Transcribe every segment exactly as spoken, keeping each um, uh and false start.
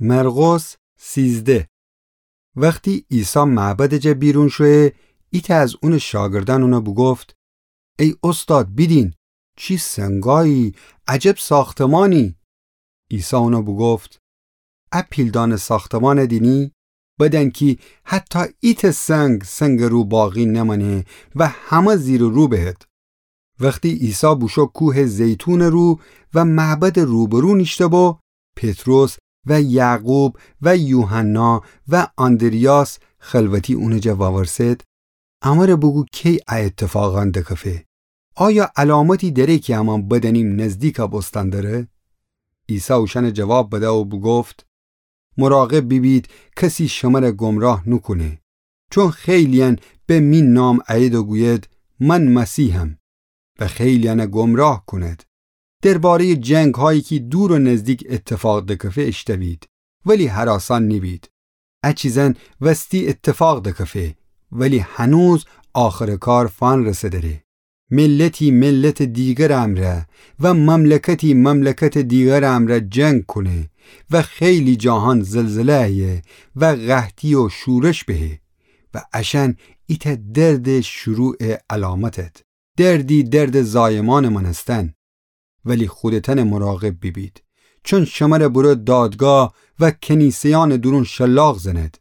مرقس سیزده. وختی عیسی معبدٚ جا بیرون شویه، ایتأ از اونٚ شاگردأن اونَ بوگفت: ای اوستاد، بیدین، چی سنگایی، عجب ساختمانی! عیسی اونَ بوگفت: ا پیلدانه ساختمانَ دینی؟ بدأن کی حتی ایتأ سنگ سنگٚ رو باقی نمأنه و همه زیر و رو بهد. وختی عیسی بوشو کوهٚ زیتونٚ رو و معبدٚ روبرو نیشته بو، پطرس و یعقوب و یوحنا و آندریاس خلوتی اونٚ جا وورسد: امره بوگو کی ا ایتفاقأن دکفه؟ آیا علامتی دأره کی امان بدأنیم نزدیکَ بوستن دره؟ عیسی اوشأنَ جواب بده و بوگفت: مراقب بیبید کسی شمره گمراه نوکونه، چون خیلی‌یأن به می نام ایید و گوید: من مسیحم، و خیلی‌یأنَ گمراه کونید. درباره‌یٚ جنگ‌هایی کی دور و نزدیک ایتفاق دکفه اشتوید، ولی هراسان نیبید. ا چیزأن وستی ایتفاق دکفه، ولی هنوز آخرٚ کار فنرسه دره. ملتی ملتٚ دیگرٚ امرأ و مملکتی مملکتٚ دیگرٚ امرأ جنگ کونه و خیلی جاهان زلزله ایه و قحطی و شورش بهه و اشأن ایتأ دردٚ شروعٚ علامتد. دردی دردٚ زایمانٚ مأنستن. ولی خودتأن مراقب بیبید، چون شمره برو دادگاه و کنیسه‌یأنٚ دورون شلاق زنید.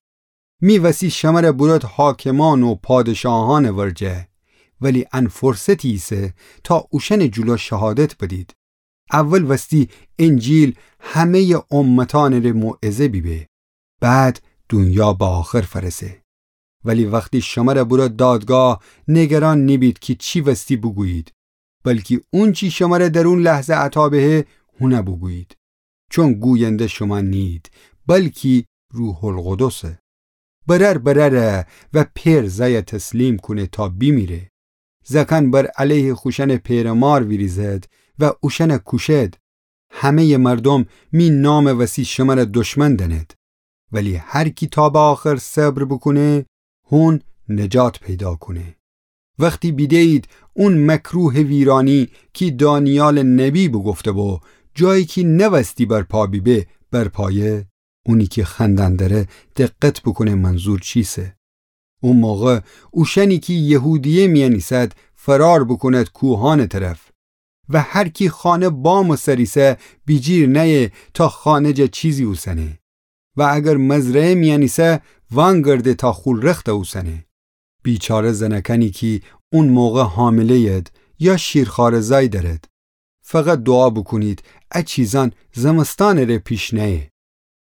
می وسی شمره برد حاکمان و پادشاهأنٚ ورجه، ولی ان فرصتی ایسه تا اوشأنٚ جلو شهادت بدید. اول وستی انجیل همه‌یٚ امتأنٚ ره موعظه بیبه، بعد دونیا به آخر فرسه. ولی وختی شمره برد دادگاه، نگران نیبید کی چی وستی بوگویید، بلکی اونچی شمره در اون لحظه عطا بهه، هونه بوگویید. چون گوینده شوما نیید، بلکی روح‌القدسه. برأر برأره و پئر زأیَ تسلیم کونه تا بیمیره. زأکأن بر علیه خوشأنٚ پئرٚ مار ویریزد و اوشأنَ کوشد. همه‌یٚ مردوم می نامٚ وسی شمره دشمن دأند. ولی هر کی تا به آخر صبر بوکونه، هون نجات پیدا کونه. وختی بیده‌یید اون مکروهٚ ویرانی کی دانیالٚ نبی بوگفته بو، جایی کی نوستی برپا بیبه، برپایه، اونی کی خوأندن دره دقت بوکونه منظور چیسه. او موقع اوشأنی کی یهودیه میأن ایسد فرار بوکوند کوهأنٚ طرف. و هر کی خانه بامٚ سر ایسه بیجیر نأیه تا خانه جا چیزی اوسنه. و اگر مزرعه میأن ایسه وأنگرده تا خو رختَ اوسنه. بیچاره زنأکأنی کی اون موقع حامله‌ید یا شیرخواره‌زأی دأرد. فقط دوعا بوکونید ا چیزأن زمستانٚ ره پیش نأیه.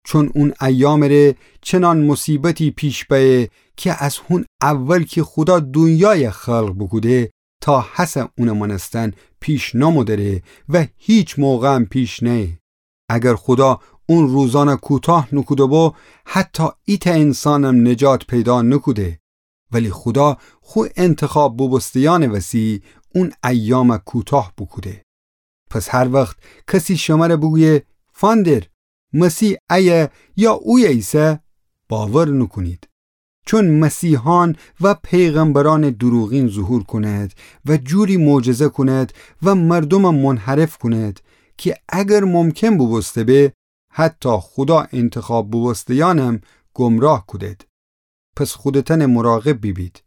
چون اون ایامٚ ره چنان مصیبتی پیش بأیه کی از هون اول کی خودا دونیایَ خلق بوکوده تا هسه اونٚ مأنستن پیش نامو دره و هیچ موقعم پیش نأیه. اگر خودا اون روزأنَ کوتاه نوکوده بو، حتی ایتأ انسانم نجات پیدا نوکوده. ولی خودا خو انتخاب بوبوسته‌یأنٚ وسی اون ایامَ کوتاه بوکوده. پس هر وخت کسی شمره بوگویه: فندر، مسیح ایه یا اویه ایسه، باور نوکونید. چون مسیحأن و پیغمبرأنٚ دوروغین ظهور کونید و جوری معجزه کونید و مردومَ منحرف کونید کی اگر ممکن بوبوسته به، حتی خودا انتخاب بوبوسته‌یأنم گمراه کودید. پس خودتأنٚ مراقب بیبید.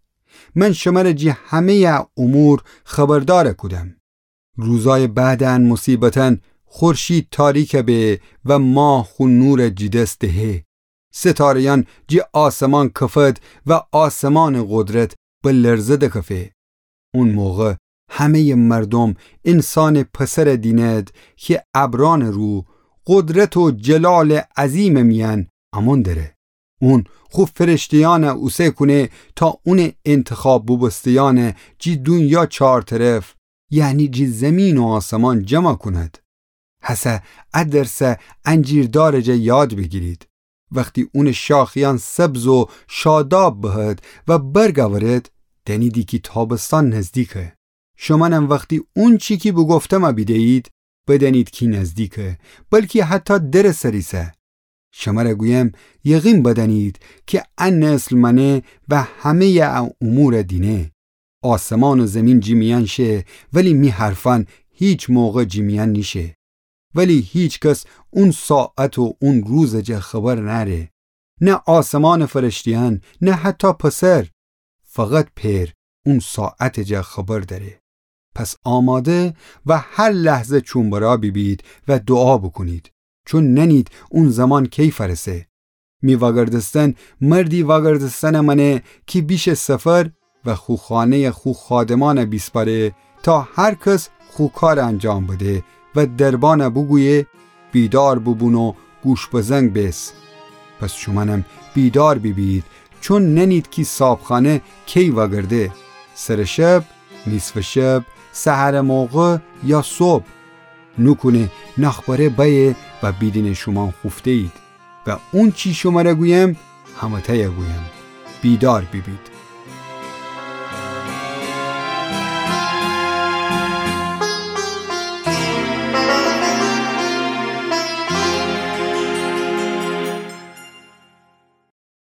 من شمره جی همه‌یٚ ا امور خبردأر کودم. روزأیٚ بعدٚ ان مصیبتأن خورشید تاریکَ به و ماه خو نورَ جی دس دهه. ستاره‌یأن جی آسمان کفد و آسمانٚ قدرت به لرزه دکفه. اون موقع همه‌یٚ مردوم انسانٚ پسرَ دینید کی ابرأنٚ رو، قدرت و جلالٚ عظیمٚ میأن امون دره. اون خو فرشته‌یأنَ اوسه کونه تا اونٚ انتخاب بوبوسته‌یأنَ جی دونیا چار طرف، یعنی جی زیمین و آسمان جمع کونید. هسه ا درسَ انجیر دارٚ جا یاد بیگیرید. وختی اونٚ شاخه‌یأن سبز و شاداب بهد و برگ اورد، دأنیدی کی تابستان نزدیکه. شومأنم وختی اونچی کی بوگفتمَ بیده‌یید، بدأنید کی نزدیکه، بلکی حتی درٚ سر ایسه. شمره گویم، یقین بدأنید کی ا نسل مأنه و همه‌یٚ ا امورَ دینه. آسمان و زیمین جی میأن شه، ولی می حرفأن هیچ موقع جی میأن نیشه. ولی هیکس اون ساعت و اون روزٚ جا خبر نأره، نه آسمانٚ فرشته‌یأن، نه حتی پسر. فقط پئر اون ساعتٚ جا خبر دأره. پس آماده و هر لحظه چوم‌برا بیبید و دوعا بوکونید، چون نأنید اون زمان کی فأرسه. می وأگردستن مردی وأگردستنٚ مأنه کی بیشه سفر و خو خانه‌یَ خو خادمأنَ بیسپأره تا هر کس خو کارَ انجام بده و دربأنَ بوگویه: بیدار بوبون و گوش‌بزنگ بیس. پس شومأنم بیدار بیبید، چون نأنید کی صابخانه کی وأگرده، سرٚ شب، نیصفٚ شب، سحرٚ موقع یا صبح. نوکونه ناخبره بأیه و بیدینه شومأن خوفته‌یید. و اونچی شمره گویم، همه‌تأیَ گویم: بیدار بیبید.